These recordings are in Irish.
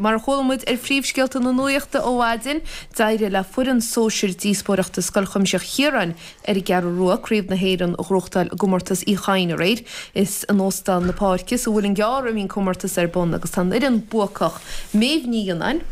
Mar a chuala muid ar phríomhscéalta na nuachta ó mhaidin, d'éirigh le foireann sóisir díospóireachta Scoil Chuimsitheach Chiaráin ar an gCeathrú Rua Craobh na hÉireann a ghnóthachtáil i gcomórtas Uí Chadhain aréir. Is in Óstán na Páirce sa Mhuileann gCearr a bhí an comórtas ar bun agus tá an fhoireann buacach, Méabh Ní Fhionnáin,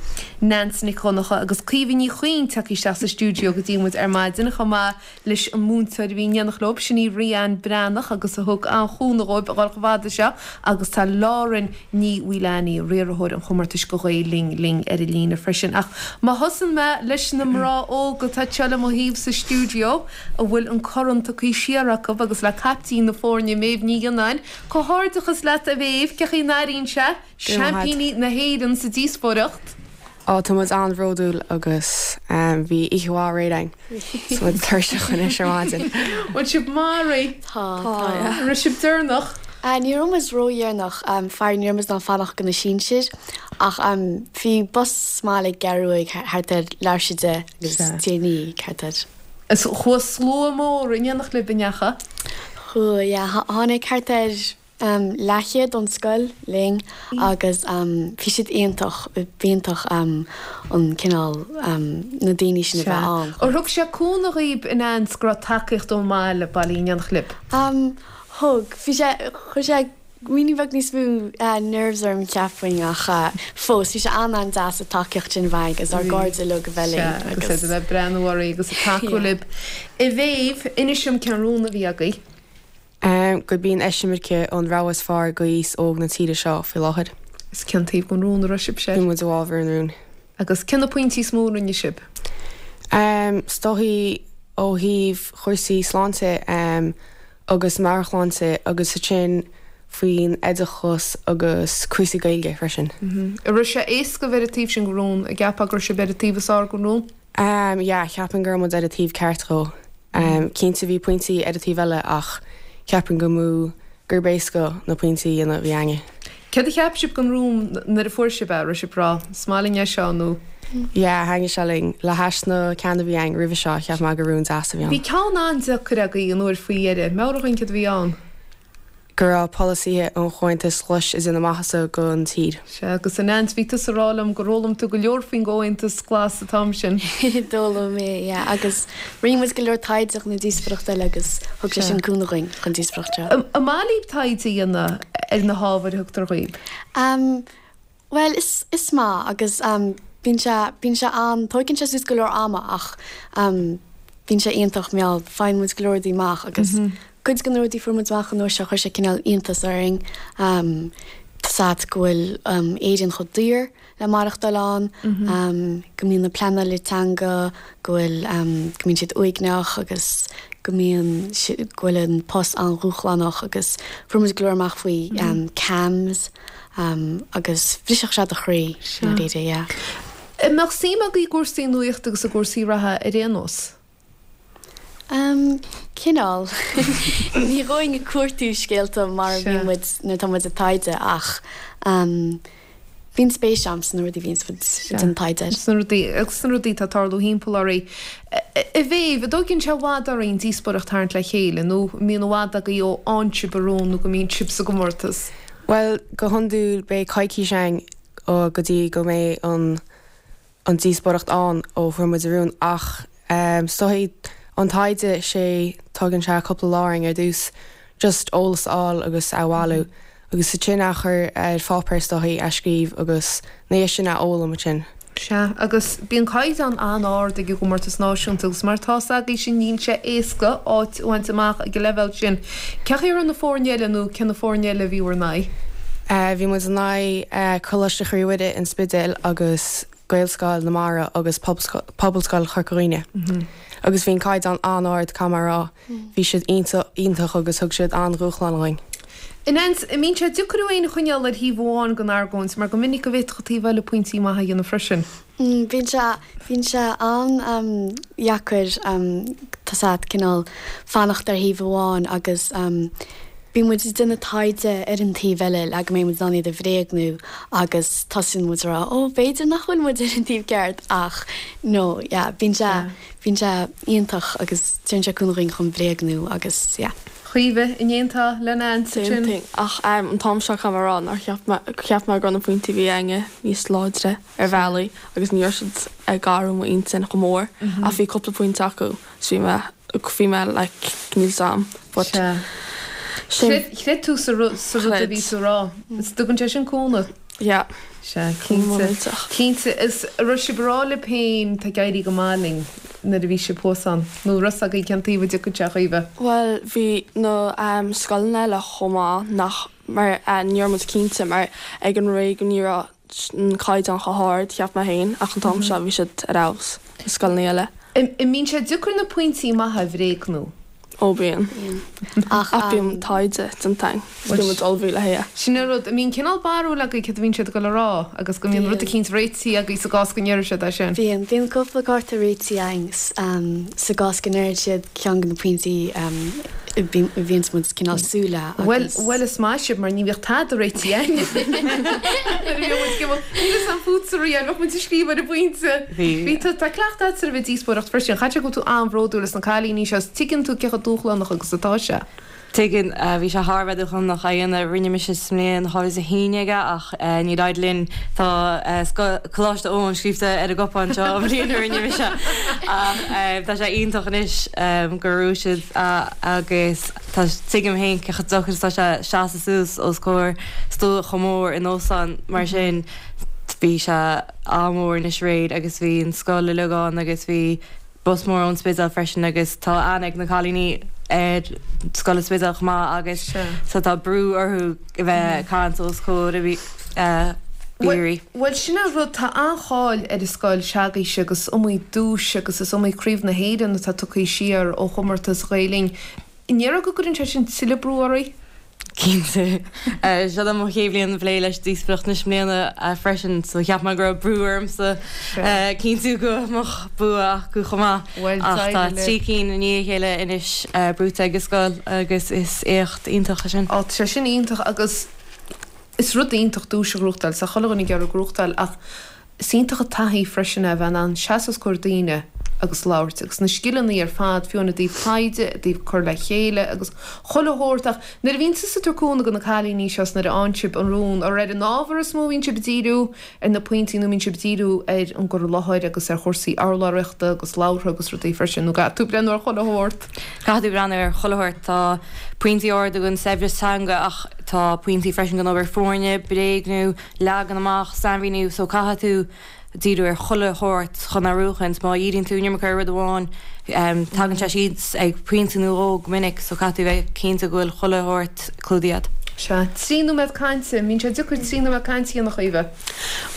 Neans Nic Dhonncha agus Caoimhe Ní Chuinn tagtha isteach sa stiúideo go dtí muid ar maidin chomh maith leis an múinteoir a bhí in éineacht leo, sin í Ríanne Breathnach agus a thug an-chúnamh dhóibh a dhul chomh fada seo agus tá Lauren Ní Mhaoileanaí, riarthóir an chomórtais do Ghael Linn, linn ar an líne freisin. Ach má thosaíonn mé leis na mná óga atá anseo le mo thaobh sa stiúideo, a bhfuil an corn tugtha siar acu agus le caiptín na foirne, Méabh Ní Fhionnáin, comhghairdeachas leat a Mhéabh, cén chaoi a n-airíonn sé, seaimpíní na hÉireann sa díospóireacht? Á, tá muid an-bhródúil agus bhí oíche mhaith aréir againn. Tá muid tuirseach anois ar maidin. Bhfuil sibh maraithe? Tá, tá, yeah. An raibh sibh deireanach? Ní raibh muid ródheireanach, faraor ní raibh muid in ann fanacht do na sinsir ach bhí bus sa mbaile ag an gCeathrú Rua thart ar leathuair tar éis a 10 agus deich i ndiaidh thart ar. Is chuaigh slua mór in éineacht libh, an ndeachaigh? Chuaigh, yeah. Tháinig thart ar leathchéad ón scoil linn agus bhí siad iontach, b'iontach an cineál na daoine sin a bheith ann. Ar thug sé cúnamh dhaoib a Neans go raibh tacaíocht ón mbaile bailithe in éineacht libh? Thug. Bhí sé, chuir sé ruainnín beag níos mó nerves orm cheapfainn ach fós bhí sé an-an-deas an tacaíocht sin a bheith againn agus ár gcairde uilig a bheith linn agus. Sea, agus iad a bheith ag breathnú oraibh agus ag tacú libh. A Mhéabh, inis dom cén rún a bhí agaibh. Gurb í an eisimirce an rogha is fearr do aos óg na tíre seo faoi láthair. Is cén taobh den rún a raibh sibhse? Bhí muid i bhfabhar an rúin. Agus cé na pointí is mó a rinne sibh? Is dóichí ó thaobh chúrsaí sláinte agus meabhairshláinte agus ansin faoin oideachas agus cúrsaí Gaeilge freisin. An raibh sé éasca a bheith ar an taobh sin den rún? An gceapfá go raibh sibh ar an taobh is fearr den rún? Yeah, cheapfainn go raibh muid ar an taobh ceart dhó. Cinnte bhí pointí ar an taobh eile ach cheapfainn go mba gurb éasca na pointí a dhéanamh a bhí againne. Céard a cheap sibh den rún nuair a fuair sibh é? Raibh sibh ag rá, 'Is maith linn é seo' nó? Yeah, thaitnigh sé linn. Le hais na ceanna a bhí againn roimhe seo, cheap mé gur rún deas a bhí ann. Bhí ceann an-deacair agaibh an uair faoi dheireadh. Meabhraigh dhúinn céard a bhí ann. go raibh polasaithe an Chomhaontais Ghlais ag déanamh maitheasa don tír. Sea, agus a Neans, bhí tusa ag rá liom gur fhoghlaim tú go leor faoin gComhaontas Glas an t-am sin. D'fhoghlaim mé, yeah, agus rinne muid go leor taighde chun na díospóireachta eile agus thug sé sin cúnamh dhúinn chun díospóireacht seo. An maith libh taighde a dhéanamh ar na hábhair a thugtar dhaoibh? Bhuel, is, is maith agus bíonn sé, bíonn sé an, tóigeann sé suas go leor ama ach bíonn sé iontach mar gheall, faigheann muid go leor rudaí amach agus cuid de na rudaí a fuair muid amach an uair seo chuir sé cineál iontas orainn, tá's a'd go bhfuil Éirinn chomh daor le maireachtáil ann, go mbíonn na pleanála teanga, go bhfuil, go mbíonn siad uaigneach agus go mbíonn, go bhfuil an post an-dhúshlánach agus fuair muid go leor amach faoi CAMHS agus bhrisfeadh sé do chroí i ndáiríre, yeah. An mbeadh suim agaibh i gcúrsaí nuachta agus i gcúrsaí reatha ar aon nós? Umm, cineál. Ní ghabhfainn ag cuartú scéalta mar a bhíonn muid nuair atá muid ag taighde ach umm bíonn spéis agam sna rudaí a bhíonns muid ag déanamh taighde air. Sna rudaí, agus sna rudaí atá ag tarlú thimpeall oraibh. A Mhéabh, an dtóigeann sé i bhfad oraibh an díospóireacht a tharraingt le chéile nó an mbíonn i bhfad agaibh ó fhaigheann sibh an rún nó go mbíonn sibh sa gcomórtas? Bhuel, go hiondúil beidh coicís againn go dtí go mbeidh an an díospóireacht ann ó fuair muid an rún ach is dóichí an taighde sé tógann sé cúpla lá orainn ar dtús just eolas a fháil agus a bhailiú agus ansin a chur ar pháipéar is dóichí a scríobh agus na dhiaidh sin a fhoghlaim ansin. Sea, agus bíonn caighdeán an-ard ag an gcomórtas náisiúnta agus mar tá's agaibhse níl sé éasca áit a bhaint amach ag an leibhéal sin. Cén chaoi a raibh na foirne eile nó cé na foirne eile a bhí bhur n-aghaidh? Bhí muid in aghaidh Coláiste Chroí Mhuire, An Spidéal agus Gaelscoil na Mara agus Pobalscoil Chorca Dhuibhne. Agus bhí an caighdeán an-ard, caithfidh mé a rá. Bhí siad iontach agus thug siad an-dhúshlán dhúinn. An mbíonn sé deacair thú féin a choinneáil ar thaobh amháin den argóint mar go minic go bhféadfadh an taobh eile pointí maithe a dhéanamh freisin. Bíonn sé, bíonn sé an-deacair tá's a'd cineál fanacht ar thaobh amháin agus bíonn muid ag déanamh taighde ar an taobh eile le go mbeidh muid in ann iad a bhréagnú agus tosaíonn muid ag rá ó b'fhéidir nach bhfuil muid ar an taobh ceart ach no yeah bíonn sé, bíonn sé iontach agus tugann sé cúnamh dhúinn chun bréagnú agus yeah. Chaoimhe, an aontófá le Neans Same ansin? thing. Ach an t-am seo caithfidh mé a rá nár cheap mé, cheap mé go raibh na pointí a bhí againne níos láidre ar bhealaí agus ní raibh siad ag athrú m'intinn chomh mór ach bhí cúpla pointe acu so bhí mé, bhí mé like níl 's a'm but Sea. sin. Chreid, chreid tú sa rud, sa rud a bhí Chreid. tú a rá. Is dtugann sé sin cúnamh. Yeah. Sea, cinnte. Cinnte. Is an raibh sibh ag rá libh féin tá ag éirí go maith linn nuair a bhí sibh thuas ann? Nó an raibh 's agaibh cén taobh a dtiocfadh sé, a Chaoimhe? Bhuel, bhí na scoileanna eile chomh maith nach, mar ní raibh muid cinnte mar ag an réigiún ní raibh an caighdeán chomh hard, cheap mé féin, ach an t-am seo bhí siad ar fheabhas, na scoileanna eile. An mbíonn sé deacair na pointí maithe a bhréagnú? Ó bíonn. Ach bíonn taighde déanta againn is bíonn muid ullmhaithe le haghaidh. Sin an rud. An mbíonn cineál barúil agaibh céard a bhíonn siad ag dul a rá agus go mbíonn rud eicínt réitithe agaibh sa gcás go ndéarfaidh siad é sin? Bíonn. Bíonn cúpla cárta réitithe againn sa gcás go ndéarfaidh siad ceann de na pointí a bhíonns muid cineál súil le Bhuel, agus. bhuel is maith sibh mar ní bhíodh tada réitithe againn. Nuair a bhíodh muid ag imeacht, níl 'fhios a'm fútsa Rían, bheadh muid ag scríobh ar an bpointe. Bhí. Bhí tú, tá cleachtadh agat ar a bheith ag díospóireacht freisin. Chaithfeadh sé go bhfuil tú an-bhródúil as na cailíní seo is tuigeann tú cé chomh dúshlánach agus atá sé. Tuigeann. Bhí sé thar a bheith dúshlánach a dhéanamh. Rinne mise sa mbliain 2011 é ach níor éirigh linn. Tá Coláiste Eoin scríobhta ar an gcupán seo an bhliain a rinne mise. Ach tá sé iontach anois gur bhuaigh siad agus tá, tuigim féin cé chomh deacair is atá sé seasamh suas os comhair slua chomh mór in óstán mar sin. Bhí sé an-mhór anois aréir agus bhí an scoil uilig ann agus bhí bus mór ón Spidéal freisin agus tá aithne ag na cailíní ar scoil an Spidéil chomh maith agus so tá brú orthu a bheith ag caint os comhair aoirí. Bhuel sin é an rud, tá an-cháil ar an scoil s'agaibhse agus is iomaí duais agus is iomaí Craobh na hÉireann atá tugtha siar ó chomórtas Ghael Linn. An ndéarfá go gcuireann sé sin tuilleadh brú oraibh? Cinnte. Seo é mo chéad bhliain ag plé leis díospóireacht anois i mbliana freisin so cheap mé go raibh brú ormsa cinntiú go mbeadh bua acu chomh maith. Ach tá 3 cinn i ndiaidh a chéile anois buaite ag an scoil agus is éacht iontach é sin. Á tá sé sin iontach agus is rud iontach duais a ghnóthachtáil, tá chuile dhuine ag iarraidh gnóthachtáil ach Is iontach an taithí freisin é a bheith in ann seasamh os comhair daoine agus labhairt, agus na scileanna ar fad, fiú amháin i dtaobh taighde, i dtaobh cur le chéile agus chuile shórt. Ach nuair a bhíonn tusa ag tabhairt cúnamh do na cailíní seo is nuair a fhaigheann sibh an rún, ar ar an ábhar is mó a bhíonn sibh ag díriú, ar na pointí, nó an mbíonn sibh ag díriú ar an gcur i láthair agus ar chúrsaí urlabhraíochta agus labhartha agus rudaí freisin, nó caithfidh tú breathnú ar chuile shórt? Caithfidh tú breathnú ar chuile shórt. Tá pointí arda don saibhreas teanga ach tá pointí freisin don obair foirne, bréagnú, leagan amach, sainmhíniú, so caithfidh tú díriú ar chuile shórt chun é a bhuachaint. Má dhíríonn tú an iomarca ar rud amháin, tagann sé síos ag pointe nó dhó go minic, so caithfidh tú bheith cinnte go bhfuil chuile shórt clúdaithe agat. Sea, 3 nóiméad cainte, mbíonn sé deacair 3 nóiméad cainte a dhéanamh, a Chaoimhe?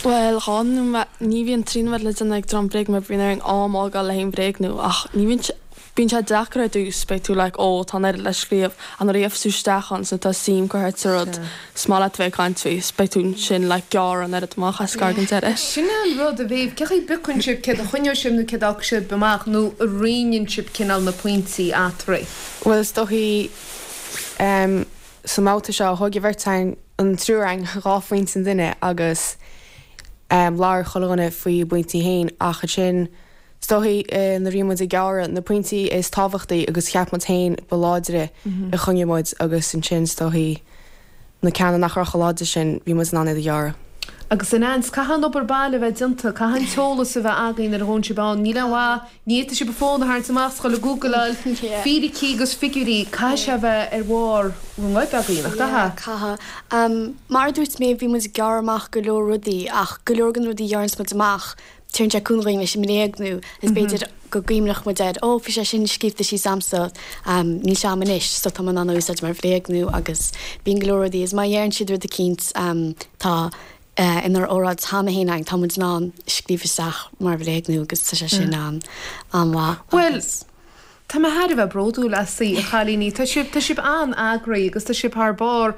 Bhuel, 2 nóiméad, ní bhíonn 3 nóiméad le déanamh ag dream bréag mar bíonn orainn am a fhágáil le haghaidh an bhréagnú ach ní bhíonn sé, Bíonn sé deacair ar dtús, beidh tú like ó tá an oiread le scríobh ach nuair a gheofas tú isteach ann so tá suim curtha agat sa rud, is maith leat a bheith ag caint faoi, is beidh tú ansin like gearradh an oiread amach as gar don deireadh. Sin é an rud, a Mhéabh, cén chaoi a bpiocann sibh céard a choinneoidh sibh nó céard a fhágfaidh sibh amach nó an roinneann sibh cineál na pointí eatarthu? Bhuel is dóichí em sa mbabhta seo thóg an bheirt againn, an triúr againn 2 phointe an duine agus em labhair chuile dhuine faoi a bpointí féin ach ansin Is dóichí nuair a bhí muid ag gearradh na pointí is tábhachtaí agus cheap muid féin ba láidre a choinnigh muid agus ansin is dóichí na ceanna nach raibh chomh láidir sin bhí muid in ann iad a ghearradh. Agus a Neans, caithfidh an obair baile a bheith déanta, caithfidh an t-eolas a bheith agaibh nuair a ghabhann sibh ann, níl aon mhaith, ní fhéadfaidh sibh an fón a tharraingt amach is a dhul ag googleáil fíricí agus figiúirí, caithfidh sé a bheith ar bharr bhur ngoib agaibh, nach gcaithfidh? Caithfidh. Mar a dúirt mé bhí muid ag gearradh amach go leor rudaí ach go leor de na rudaí a ghearranns muid amach Tugann sé cúnamh dhúinn leis an mbréagnú is b'fhéidir go gcuimhneodh muid air, ó bhí sé sin scríobhta síos a'msa, níl sé a'm anois so tá mé in ann a úsáid mar bhréagnú agus bíonn go leor rudaí is má dheireann siad rud eicínt tá inár óráid cheana féin againn, tá muid in ann scríobh isteach mar bhréagnú agus tá sé sin an-mhaith Bhuel, agus. tá mé thar a bheith bródúil asaibh, a chailíní. Tá sibh, tá sibh an-eagraithe agus tá sibh thar barr.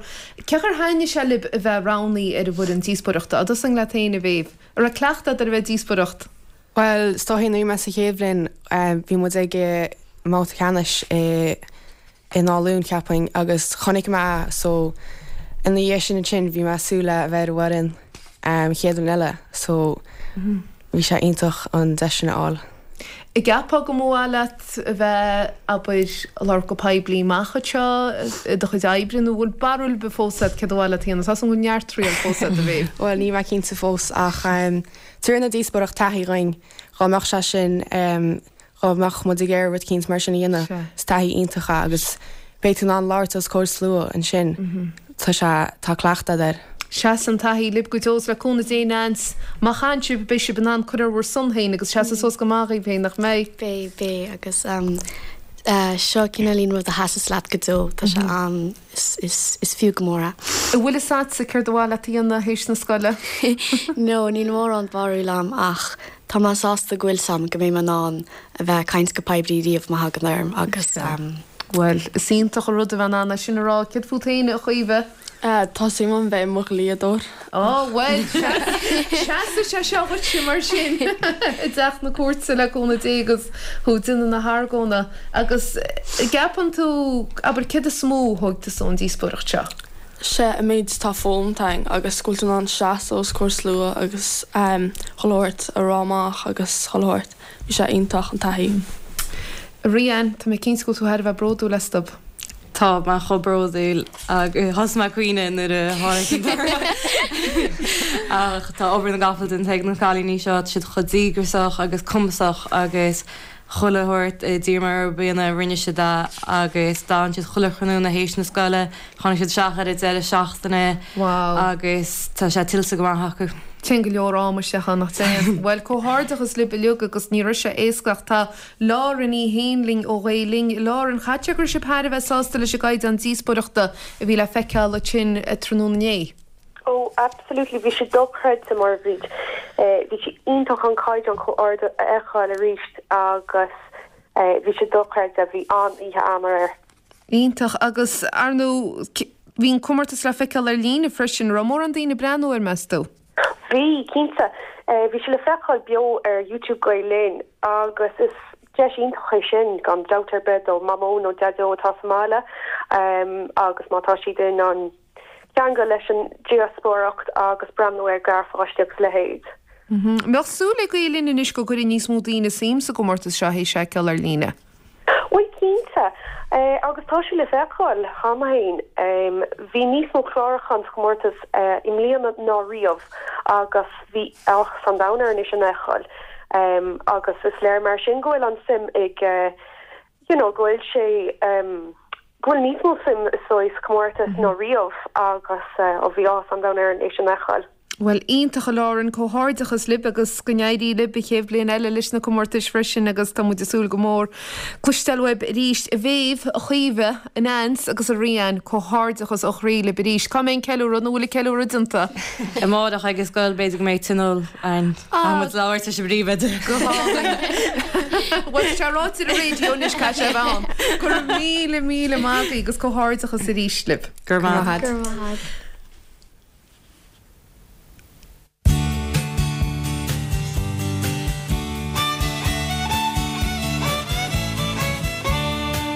Cén chaoi ar thaitnigh sé libh a bheith roghnaithe ar an bhfoireann díospóireachta? Á dtosóinn leat féin, a Mhéabh. An raibh cleachtadh agat ar a bheith ag díospóireacht? Bhuel, is dóichí nuair a bhí mé sa chéad bhliain, bhí muid ag an mbabhta ceannais i nÁth Luain, cheapfainn, agus chonaic mé é, so ina dhiaidh sin ansin bhí mé ag súil le a bheith ar an bhfoireann an chéad bhliain eile, so bhí sé iontach an deis sin a fháil. An gceapfá go mba mhaith leat a bheith, abair, ag labhairt go poiblí amach anseo i do chuid oibre nó bhfuil barúil ar bith fós agat céard ba mhaith leat a dhéanamh? Tá a fhios agam go bhfuil neart triail fós agat, a Mhéabh. Bhuel, níl mé cinnte fós ach tabharfaidh an díospóireacht taithí dhuinn dhá mbeadh sé sin Dhá mbeadh muid ag iarraidh rud eicínt mar sin a dhéanamh, is taithí iontach é agus beidh tú in ann labhairt os comhair slua ansin. Tá sé, tá cleachtadh agat air. Seasfaidh an taithí libh go deo is le cúnamh Dé Neans, má chailleann sibh, beidh sibh in ann cur ar bhur son féin agus seasamh suas go maith dhaoibh féin, nach mbeidh? Beidh, beidh agus seo cineáilín rud a sheasas leat go deo, tá sé an, is, is fiú go mór é. An bhfuil fhios agatsa céard ba mhaith leat a dhéanamh théis na scoile? No, níl mórán barúil a'm ach tá mé sásta go bhfuil 's a'm go mbeidh mé in ann a bheith ag caint go poiblí riamh má thagann orm agus. Bhuel, is iontach an rud a bheith in ann é sin a rá. Céard fút féin, a Chaoimhe? Tá suim a'm bheith i mo dhlíodóir. Á, bhuel, seasfaidh sé seo dhuitse mar sin i dteach na cúirte le cúnamh Dé agus thú ag déanamh na hargóna. Agus an gceapann tú, abair, céard is mó a thóg tusa ón díospóireacht seo? Sé an méid atá foghlamtha againn agus go bhfuil tú in ann seasamh os comhair slua agus chuile shórt a rá amach agus chuile shórt. Bhí sé iontach, an taithí. Rían, tá mé cinnte go bhfuil tú thar a bheith bródúil astu. Tá mé chomh bródúil agus thosaigh mé ag caoineadh nuair a tháinig an toradh. Ach tá obair na gcapall déanta ag na cailíní seo, tá siad chomh díograsach agus cumasach agus chuile shórt a d'iarr mé orthu a dhéanamh rinne siad é agus d'fhan siad chuile thráthnóna théis na scoile, tháinig siad isteach ar an deireadh seachtaine agus tá sé tuillte go maith acu. Téann go leor ama isteach ann, nach dtéann? Bhuel, comhghairdeachas libh uilig agus ní raibh sé éasca ach tá Lauren í féin linn ó Ghael Linn. Lauren, caithfidh sé go raibh sibh thar a bheith sásta leis an gcaighdeán díospóireachta a bhí le feiceáil ansin tráthnóna inné. Oh, absolutely, bhí sé dochreidte mar bhí, bhí sé iontach an caighdeán chomh ard a fheiceáil arís agus bhí sé dochreidte, bhí an-oíche againn aréir. Iontach, agus ar ndóigh bhí an comórtas le feiceáil ar líne freisin, raibh mórán daoine ag breathnú air, meas tú? Bhí, cinnte. Bhí sé le feiceáil beo ar YouTube Gael Linn agus is deis iontach é sin, gan dabht ar bith, do Mhamó nó Daideo atá sa mbaile agus má tá siad in ann ceangal leis an díospóireacht agus breathnú ar gharpháistí agus a leithéid. An mbeadh súil ag Gael Linn anois go gcuirfidh níos mó daoine suim sa gcomórtas seo théis é a fheiceáil ar líne? Bhuel, cinnte. Agus tá sé le feiceáil cheana féin. Bhí níos mó clárúchán sa chomórtas i mbliana ná riamh agus bhí áthas an domhain orainn é sin a fheiceáil. Agus is léir mar sin go bhfuil an suim ag, you know, go bhfuil sé, go bhfuil níos mó suim is dóigh sa chomórtas ná riamh agus bhí áthas an domhain orainn é sin a fheiceáil. Bhuel, iontach a Lauren, comhghairdeachas libh agus go n-éirí libh an chéad bhliain eile leis na comórtais freisin agus tá muid ag súil go mór cloisteáil uaibh arís. A Mhéabh, a Chaoimhe, a Neans agus a Rían, comhghairdeachas ó chroí libh arís. Cá mbeidh an ceiliúradh nó an bhfuil an ceiliúradh déanta? Amárach ag an scoil b'fhéidir go mbeidh tionól ann. Caithfidh muid labhairt leis an bpríomhoide. Go hálainn. Bhuel, tá sé ráite ar an raidió anois, caithfidh sé a bheith ann. Go raibh míle, míle maith agaibh agus comhghairdeachas arís libh. Go raibh maith agat. Go raibh maith agat.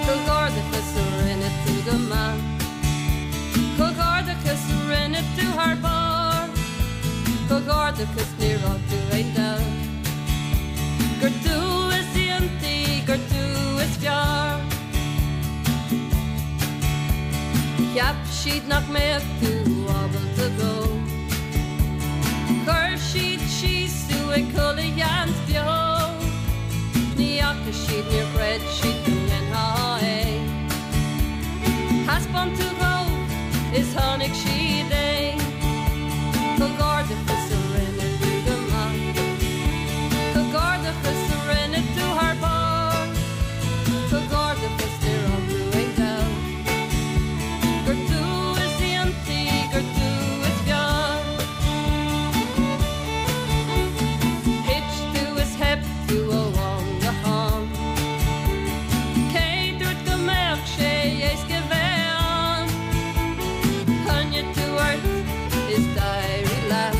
Comhghairdeachas rinne tú go maith. Comhghairdeachas rinne tú thar barr. Comhghairdeachas níor fhág tú aon dabht. Gur tú is iontaí, gur tú is fearr. Cheap siad nach mbeadh tú ábalta dó. Chuir siad síos tú ag chuile sheans beo. Ní fhaca siad, níor chreid siad go ndéanfá é. Thaispeáin tú dhóibh is chonaic siad é. Comhghairdeachas a rinne tú go maith. Comhghairdeachas a rinne tú thar barr. Comhghairdeachas níor fhág tú aon dabht. Gur tú is iontaí, gur tú is fearr. Thit tú is theip tú ó am go ham. Cé dúirt go mbeadh sé éasca bheith ann? Choinnigh tú ort is d'éirigh leat.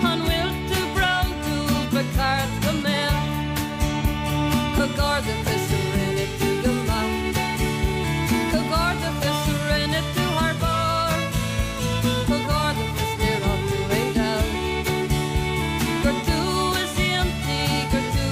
An bhfuil tú bródúil? Ba cheart go mbeadh. Comhghairdeachas a rinne tú go maith. Comhghairdeachas a rinne tú thar barr. Comhghairdeachas níor fhág tú aon dabht. Gur tú is iontaí, gur tú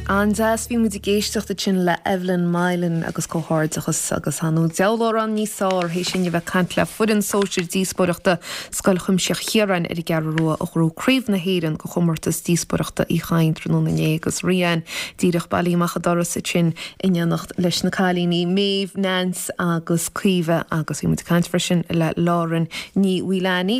An-deas, bhí muid ag éisteacht ansin le Evelyn Mylan agus comhghairdeachas agus tá an diabhal amhrán níos fearr théis sin a bheith ag caint le foireann sóisir díospóireachta Scoil Chuimsitheach Chiaráin ar an gCeathrú Rua a ghnóthaigh Craobh na hÉireann de chomórtas díospóireachta Uí Chadhain tráthnóna inné agus Rían díreach bailithe amach an doras ansin in éineacht leis na cailíní Méabh, Nance agus Caoimhe agus bhí muid ag caint freisin le Lauren Ní Mhaoileanaí.